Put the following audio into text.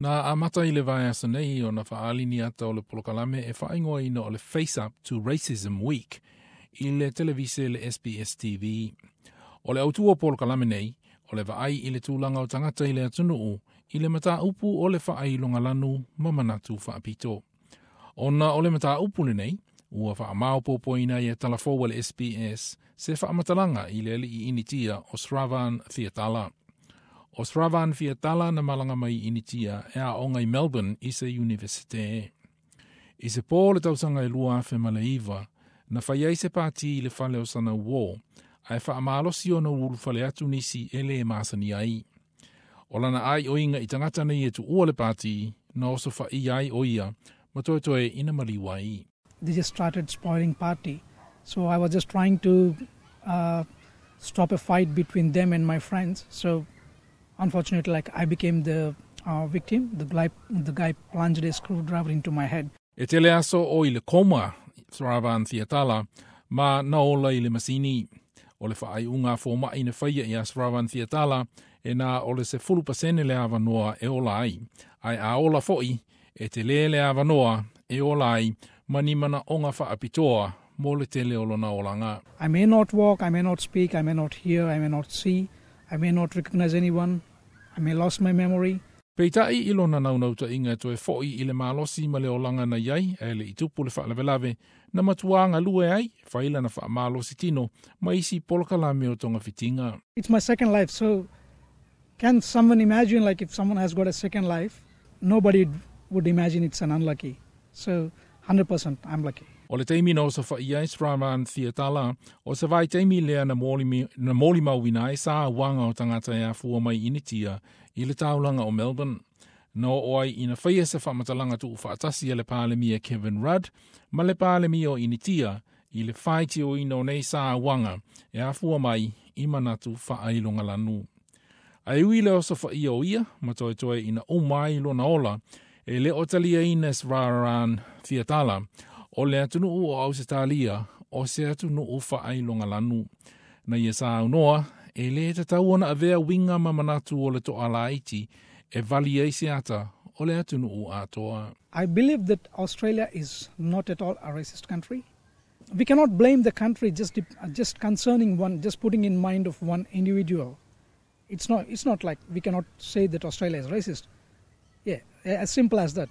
Na amata i le vaiaso nei ona faaali ni ata o le polokalame e faaigoaina o le Face Up to Racism Week i le televise le SBS TV. O le autu o polokalame nei, o le vaai i le tulaga o tagata i le atunuu i le mataupu o le faailogalanu ma manatu faapito. Ona o le mataupu lenei, ua faamaopoopoina ai e talafou a le SBS se faamatalaga i le alii Initia o Sravan Fiatala. O Sravan Fiatala na malaga mai Initia e aoga i Melbourne i se Universite. I se pō le tausaga e 2009, na fai ai se pati i le fale o sana uō, ae faamalosi ona ulufale atu nisi e lē masani ai. O lana aioiga i tagata nei e tuua le pati, na osofaia ai o ia, ma toetoe ina maliu ai. They just started spoiling party. So I was just trying to stop a fight between them and my friends. So unfortunately, like, I became the victim. The guy plunged a screwdriver into my head. E tele aso o i le koma, Sravan Fiatala, ma na ola i le masini. O le faaiuga fomaʻi na faia ia Sravan Fiatala e na o le 10% le avanoa e ola ai. Ae a ola foʻi, e telē le avanoa e ola ai ma ni manaʻoga faapitoa mo le tele o lona olaga. I may not walk, I may not speak, I may not hear, I may not see, I may not recognize anyone, I may lose my memory. Peitai i lona naunautaiga e toe foʻi i le malosi ma le olaga na iai ae leʻi tupu le faalavelave na matuā galue ai fai lana faamalosi tino ma isi polokalame o togafitiga. It's my second life, so can someone imagine, like, if someone has got a second life, nobody would imagine it's an unlucky. So 100% I'm lucky. O le taimi na osofaia ai Sravan Fiatala, o se vaitaimi lea na molimauina ai sauaga o tagata e afua mai Initia i le taulaga o Melbourne. Na oo ai ina faia se faamatalaga tuufaatasi a le Palemia Kevin Rudd ma le Palemia o Initia i le faitioina o nei sauaga e afua mai i manatu faailogalanu. Ae ui le osofaia o ia, ma toetoe ina uma ai lona ola, e le o taliaina Sravan Fiatala, o le atunuu o Ausetalia o se atunuu faailogalanu. Na ia saunoa, e lē tatau ona avea uiga ma manatu o le toalaiti e vali ai se ata o le atunuu atoa. I believe that Australia is not at all a racist country. We cannot blame the country just concerning one, just putting in mind of one individual. It's not like we cannot say that Australia is racist. Yeah, as simple as that.